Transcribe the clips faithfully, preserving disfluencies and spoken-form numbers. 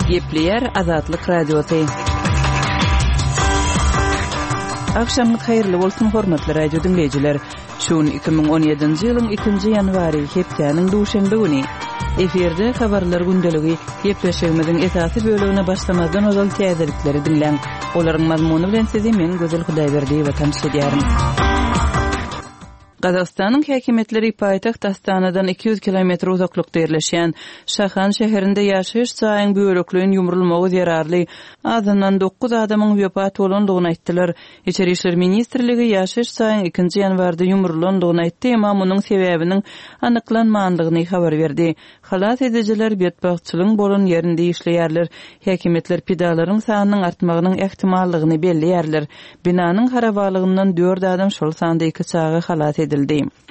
Gepleýär Azatlyk Radiosy. Agşamyňyz haýyrly bolsun, hormatly radio diňleýjiler. Şu gün iki müň on ýedinji ýylyň ikinji ýanwary, hepdäniň duşenbe güni. Efirde habarlar gündeligi. Gepleşigimiziň esasy bölegine başlamazdan ozal täzelikleri diňläň. Olaryň mazmuny bilen sizi men Gözel Hudaýberdiýewa tanyş edýärin. Gazagystanyň häkimiýetleri paýtagt Astanadan iki ýüz kilometr uzaklykda ýerleşýän Şahan şäherinde ýaşaýyş jaýyň bölekleýin ýumrulmagy zerarly azyndan dokuz adamyň wepat bolandygyny aýtdylar. Içeri işler ministrligi ýaşaýyş jaýyň ikinji ýanwarda ýumrulandygyny aýtdy, emma munuň sebäbiniň anyklanmandygyny habar berdi. Halas edijiler betbagtçylygyň bolan ýerinde işleýärler. Häkimiýetler pidalaryň sanynyň artmagynyň ähtimallygyny belleýärler. Binanyň harabalygyndan dört adam, şol sanda iki çaga halas edildi.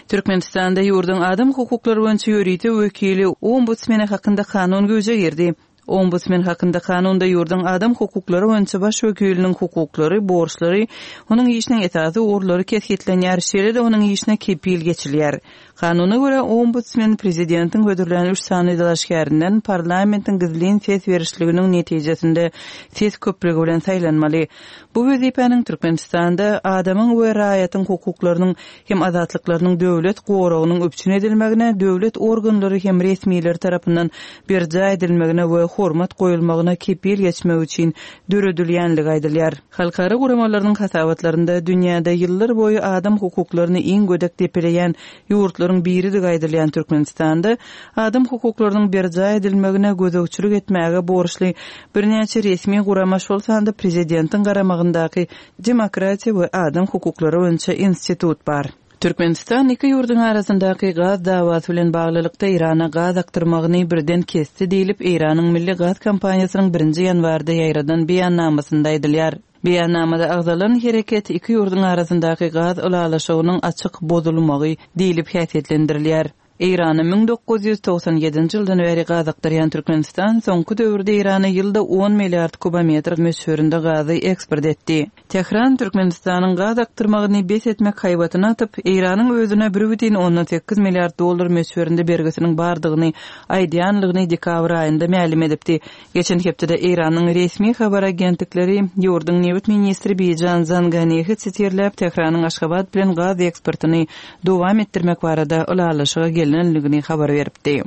Türkmenistanda ýurduň adam hukuklary boýunça ýörite wekili ombudsmeni hakynda kanun güýje girdi. Ombudsmen hakynda kanunda ýurduň adam hukuklary boýunça baş wekiliniň hukuklary, borçlary, onuň işiniň esasy ugurlary kesgitlenýär, şeýle-de onuň işine kepil geçilýär. Kanuna görä, ombudsmen prezidentiň hödürlän üç sany dalaşgärinden parlamentiň gizlin ses berişliginiň netijesinde ses köplügi bilen saýlanmaly. Bu wezipäniň Türkmenistanda adamyň we raýatyň hukuklarynyň hem azatlyklarynyň döwlet goragynyň üpjün edilmegine, döwlet organlary hem resmileri tarapyndan berjaý edilmegine we hormat goýulmagyna kepil geçmek üçin döredilýänligi aýdylýar. Halkara guramalarynyň hasabatlarynda dünýäde ýyllar boýy adam hukuklaryny iň gödek depeleýän ýurtlaryň biridigi aýdylýan Türkmenistanda adam hukuklarynyň berjaý edilmegine gözegçilik etmäge borçly birnäçe resmi gurama, şol sanda prezidentiň garamagyndaky Demokratiýa we adam hukuklary boýunça institut bar. Türkmenistan iki ýurduň arasyndaky gaz dawasy bilen baglylykda Eýrana gaz akdyrmagyny birden kesdi diýlip, Eýranyň Milli gaz kompaniýasynyň birinji ýanwarda ýaýradan beýannamasynda aýdylýar. Beýannamada agzalan hereket iki ýurduň arasyndaky gaz ylalaşygynyň açyk bozulmagy diýlip häsiýetlendirilýär. Eýrana müň dokuz ýüz togsan ýedinji ýyldan bäri gaz akdyrýan Türkmenistan soňky döwürde Eýrana ýylda on milliard kubometr möçberinde gazy eksport etdi. Tähran Türkmenistanyň gaz akdyrmagyny bes etmek haýbatyny atyp, Eýranyň özüne bir bütin ondan sekiz milliard dollar möçberinde bergisiniň bardygyny aýdýanlygyny dekabr aýynda mälim edipdi. Geçen hepdede Eýranyň resmi habar agentlikleri ýurduň nebit ministri Bijan Zanganehi sitirläp, Tähranyň Aşgabat bilen gaz eksportyny dowam etdirmek barada ylalaşyga gelenligini habar beripdi.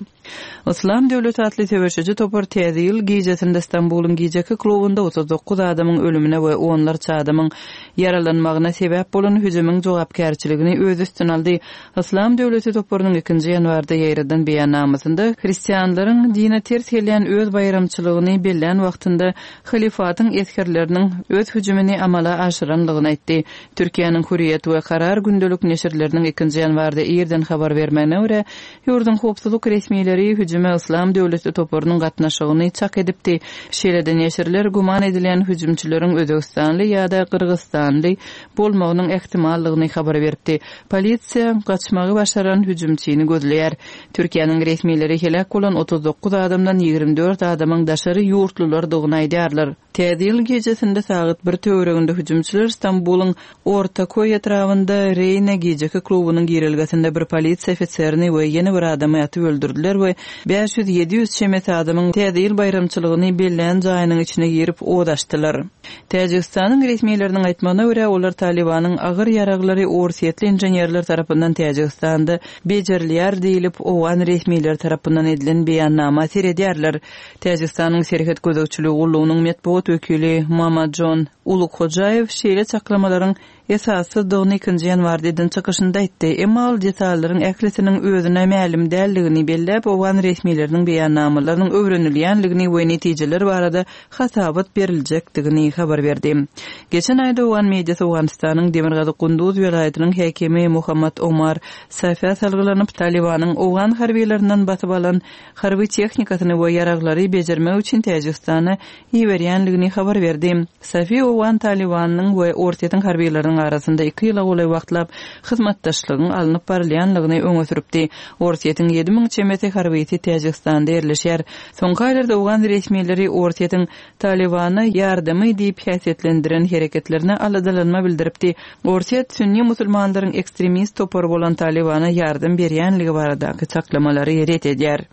Islam döwleti atly söweşiji topar täze ýyl gijesinde Stambulyň gijeki klubunda otuz dokuz adamyň ölümine we onlarça adamyň ýaralanmagyna sebäp bolan hüjümiň jogapkärçiligini öz üstüne aldy. Islam döwleti toparynyň ikinji ýanwarda ýaýradan beýannamasynda hristianlaryň dine ters gelýän öz baýramçylygyny bellän wagtynda halifatyň esgerleriniň öz hüjümini amala aşyranlygyny aýtdy. Türkiýäniň Hürriýet we Karar gündelik neşirleriniň ikinji ýanwarda irden habar bermegine görä, ýurduň howpsuzlyk resmileri hüjüme Islam döwleti toparynyň gatnaşygyny çak edipdi. Şeýle-de neşirler güman edilýän hüjümçileriň Özbegistanly ýa-da Gyrgyzystanly bolmagynyň ähtimallygyny habar beripdi. Polisiýa gaçmagy başaran hüjümçini gözleýär. Türkiýäniň resmileri heläk bolan otuz dokuz adamdan ýigrimi dört adamyň daşary ýurtlulardygyny aýdýarlar. Täze ýyl gecesinde sagat bir töwereginde hüjümçiler Stambulyň Ortaköý etrabynda Reýne geceki klubunyň girelgesinde bir polisiýa ofiserini we ýene bir adamy atyp öldürdüler we bäş ýüz ýedi ýüz çemesi adamyň täze ýyl baýramçylygyny bellän jaýynyň içine girip od açdylar. Täjigistanyň resmileriniň aýtmagyna görä, olar Talibanyň agyr ýaraglary orsýetli inženerler tarapyndan Täjigistanda bejerilýär diýlip, owgan resmileri tarapyndan edilen beýannama seredýärler. Täjigistanyň serhet gözegçiligi gullugynyň metbugat wekili Mamajon Ulukhojaýew şeýle çaklamalaryň esassyzdygyny ikinji ýanwarda eden çykyşynda aýtdy. Emma ol detallaryň ählisiniň özüne mälim däldigini belläp, owgan resmileriniň beýannamalarynyň öwrenilýänligini we netijeler barada hasabat beriljekdigini habar berdi. Geçen aýda owgan mediasy Owganystanyň Demirgazyk Gunduz welaýatynyň häkimi Muhammad Omar Safia salgylanyp, Talibanyň owgan harbiylerinden basyp alan harby tehnikasyny we ýaraglary bejermek üçin Täjigistana iberýänligini habar berdi. Safi owgan Talibanyň we Orsýetiň harbiýlarynyň arasynda iki ýyla golaý wagtlap hyzmatdaşlygyň alnyp barylýanlygyny öňe sürüpdi. Orsýetiň ýedi müň çemesi harbyýeti Täjigistanda ýerleşýär. Soňky aýlarda owgan resmileri Orsýetiň Talibana ýardamy diýip häsiýetlendiren hereketlerine aladalanma bildiripdi. Orsýet sünni musulmanlaryň ekstremist topary bolan Talibana ýardam berýänligi baradaky çaklamalary ret edýär.